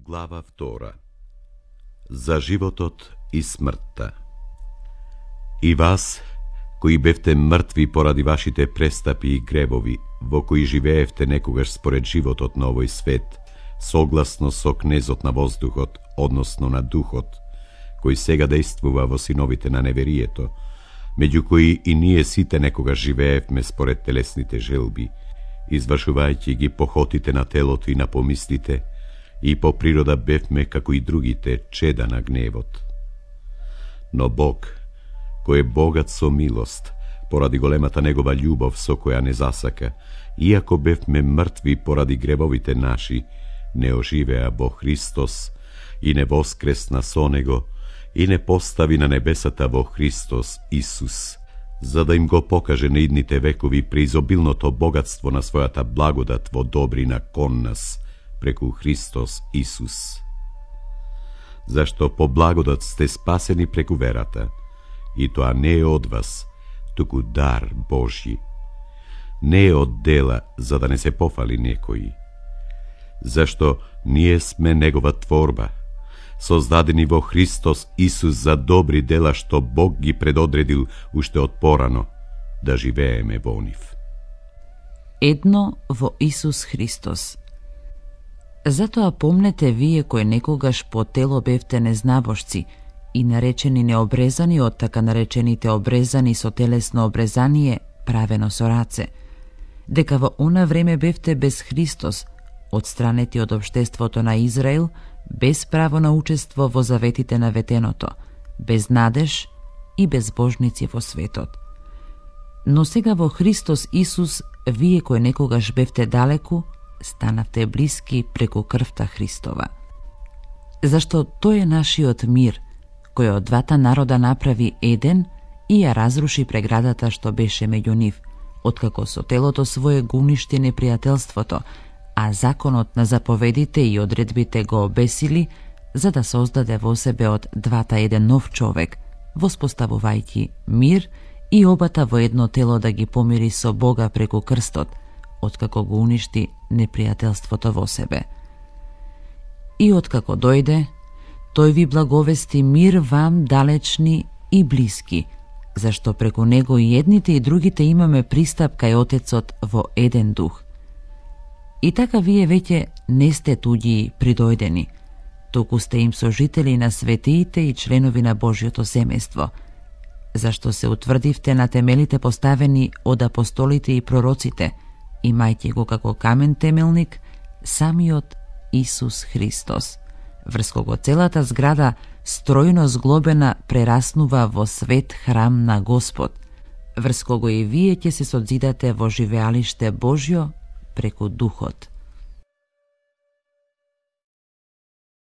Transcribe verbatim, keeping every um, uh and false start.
Глава втора. За животот и смртта. И вас, кои бевте мртви поради вашите престапи и гревови, во кои живеевте некогаш според животот на овој свет, согласно со кнезот на воздухот, односно на духот, кој сега действува во синовите на неверието, меѓу кои и ние сите некогаш живеевме според телесните желби, извршувајќи ги похотите на телото и на помислите, и по природа бевме како и другите чеда на гневот. Но Бог, кој е богат со милост, поради големата негова љубов со која не засака, иако бевме мртви поради гревовите наши, не оживеа во Христос и не воскресна со Него и не постави на небесата во Христос Исус, за да им го покаже на идните векови преизобилното богатство на својата благодат во добрина кон нас, преку Христос Исус. Зашто по благодат сте спасени преку верата, и тоа не е од вас, туку дар Божји. Не е од дела, за да не се пофали некој. Зашто ние сме Негова творба, создадени во Христос Исус за добри дела што Бог ги предодредил уште од порано, да живееме во нив. Едно во Исус Христос. Затоа помнете вие кои некогаш по тело бевте незнабожци и наречени необрезани од така наречените обрезани со телесно обрезание правено со раце, дека во она време бевте без Христос, одстранети од општеството на Израил, без право на учество во заветите на ветеното, без надеж и безбожници во светот. Но сега во Христос Исус, вие кои некогаш бевте далеку, станавте блиски преку крвта Христова. Зашто тој е нашиот мир, кој од двата народа направи еден и ја разруши преградата што беше меѓу нив, откако со телото свое го уништи непријателството, а законот на заповедите и одредбите го обесили, за да создаде во себе од двата еден нов човек, воспоставувајќи мир и обата во едно тело да ги помири со Бога преку крстот, откако го уништи непријателството во себе. И откако дојде, тој ви благовести мир вам далечни и блиски, зашто преку него и едните и другите имаме пристап кај Отецот во еден дух. И така вие веќе не сте туѓи придојдени, туку сте им сожители на светиите и членови на Божјото семејство, зашто се утврдивте на темелите поставени од апостолите и пророците, имајќи го како камен темелник самиот Исус Христос, врз кого целата зграда стројно зглобена прераснува во свет храм на Господ, врз кого и вие ќе се содзидате во живеалиште Божјо преку Духот.